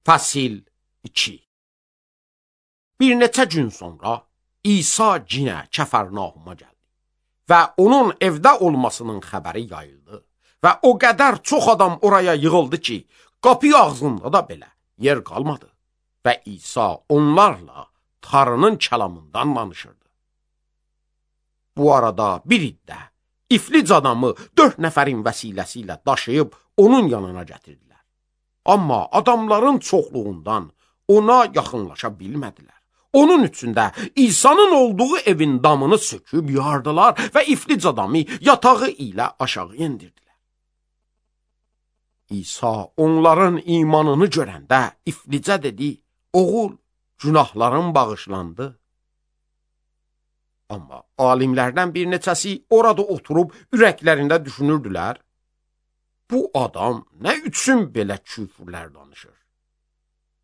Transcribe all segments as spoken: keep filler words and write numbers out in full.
Fəsil iki. Bir neçə gün sonra İsa cinə Kəfərnauma gəldi və onun evdə olmasının xəbəri yayıldı və o qədər çox adam oraya yığıldı ki, qapı ağzında da belə yer qalmadı və İsa onlarla Tanrının kəlamından danışırdı. Bu arada bir iddə iflic adamı dörd nəfərin vəsiləsi ilə daşıyıb onun yanına gətirdilər. Amma adamların çoxluğundan ona yaxınlaşa bilmədilər. Onun üçün də İsa'nın olduğu evin damını söküb yardılar və iflic adamı yatağı ilə aşağı endirdilər. İsa onların imanını görəndə iflicə dedi, oğul, günahların bağışlandı. Amma alimlərdən bir neçəsi orada oturub ürəklərində düşünürdülər, bu adam nə üçün belə küfürlər danışır?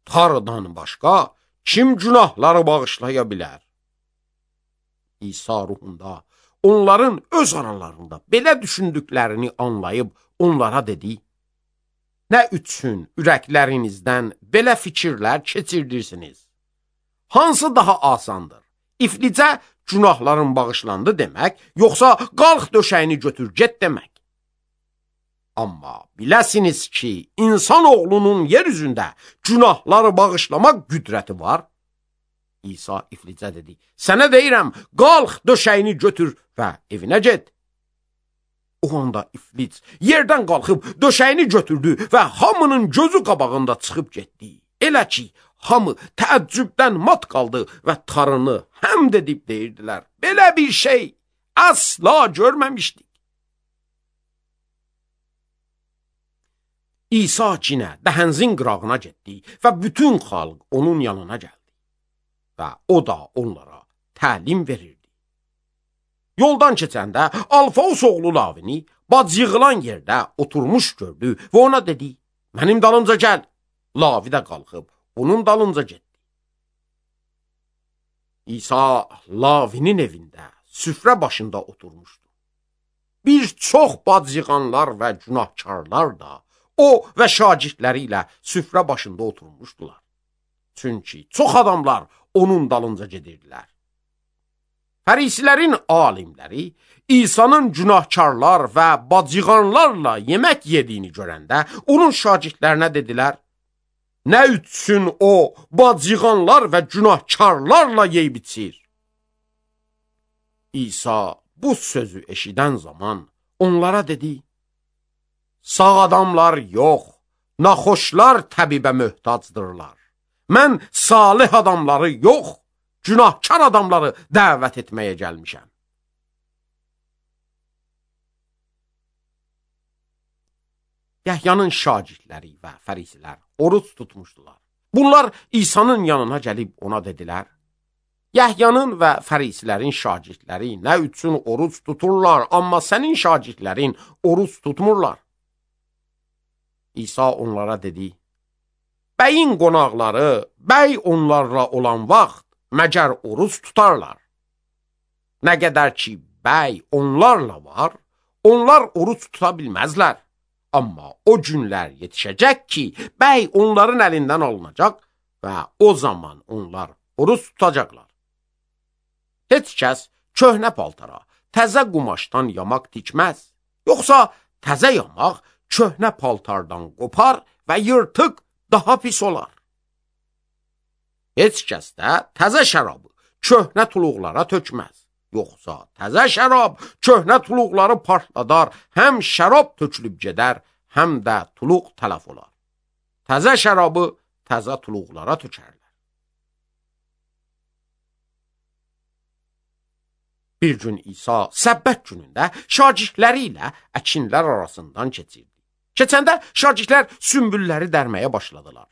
Tanrıdan başqa kim günahları bağışlaya bilər? İsa ruhunda onların öz aralarında belə düşündüklərini anlayıb onlara dedi, nə üçün ürəklərinizdən belə fikirlər keçirdirsiniz? Hansı daha asandır? İflicə günahların bağışlandı demək, yoxsa qalx döşəyini götür get demək? Amma biləsiniz ki, insan oğlunun yer üzündə günahları bağışlamaq qüdrəti var. İsa iflicə dedi, sənə deyirəm, qalx döşəyini götür və evinə get. O anda iflic yerdən qalxıb döşəyini götürdü və hamının gözü qabağında çıxıb getdi. Elə ki, hamı təəccübdən mat qaldı və Tanrını həmd edib deyirdilər, belə bir şey asla görməmişdik. İsa cinə dəhənzin qırağına getdi və bütün xalq onun yanına gəldi və o da onlara təlim verirdi. Yoldan keçəndə Alfaos oğlu Lavini bac yığılan yerdə oturmuş gördü və ona dedi, mənim dalımca gəl. Lavi də qalxıb onun dalınca getdi. İsa Lavinin evində süfrə başında oturmuşdu. Bir çox bac yığanlar və günahkarlar da o və şagirdləri ilə süfrə başında oturmuşdular. Çünki çox adamlar onun dalınca gedirdilər. Fərisilərin alimləri İsa'nın günahkarlar və bacıqanlarla yemək yediyini görəndə onun şagirdlərinə dedilər, nə üçün o bacıqanlar və günahkarlarla yeyib içir? İsa bu sözü eşidən zaman onlara dedi, sağ adamlar yox, naxoşlar təbibə möhtacdırlar. Mən salih adamları yox, günahkar adamları dəvət etməyə gəlmişəm. Yəhyanın şagirdləri və fərisilər oruç tutmuşdular. Bunlar İsa'nın yanına gəlib ona dedilər, Yəhyanın və fərisilərin şagirdləri nə üçün oruç tuturlar, amma sənin şagirdlərin oruç tutmurlar? İsa onlara dedi, bəyin qonaqları, bəy onlarla olan vaxt məgər oruç tutarlar. Nə qədər ki, bəy onlarla var, onlar oruç tuta bilməzlər. Amma o günlər yetişəcək ki, bəy onların əlindən alınacaq və o zaman onlar oruç tutacaqlar. Heç kəs köhnə paltara, təzə qumaşdan yamaq tikməz. Yoxsa təzə yamaq köhnə paltardan qopar və yırtıq daha pis olar. Heç kəs də təzə şərabı köhnə tuluqlara tökməz. Yoxsa təzə şərab köhnə tuluqları partladar, həm şərab tökülüb gedər, həm də tuluq tələf olar. Təzə şərabı təzə tuluqlara tökərlər. Bir gün İsa səbbət günündə şagirdləri ilə əkinlər arasından keçirdi. Keçəndə şagirdlər sümbülləri dərməyə başladılar.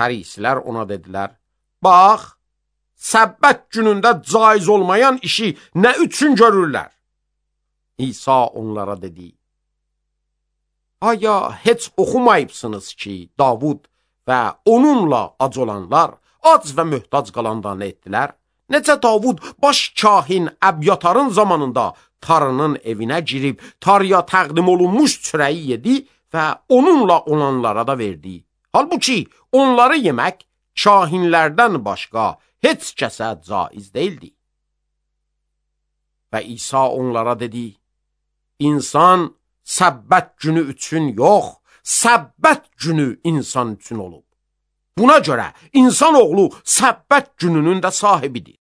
Fərisilər ona dedilər, bax, səbbət günündə caiz olmayan işi nə üçün görürlər? İsa onlara dedi, aya heç oxumayıbsınız ki, Davud və onunla ac olanlar ac və möhtac qalanda nə etdilər? Necə Davud baş kahin Əbyatarın zamanında Tanrının evinə girib, Tanrıya təqdim olunmuş çörəyi yedi və onunla olanlara da verdi. Halbuki onları yemək kahinlərdən başqa heç kəsə caiz deyildi. Və İsa onlara dedi, İnsan səbbət günü üçün yox, səbbət günü insan üçün olub. Buna görə insan oğlu səbbət gününün də sahibidir.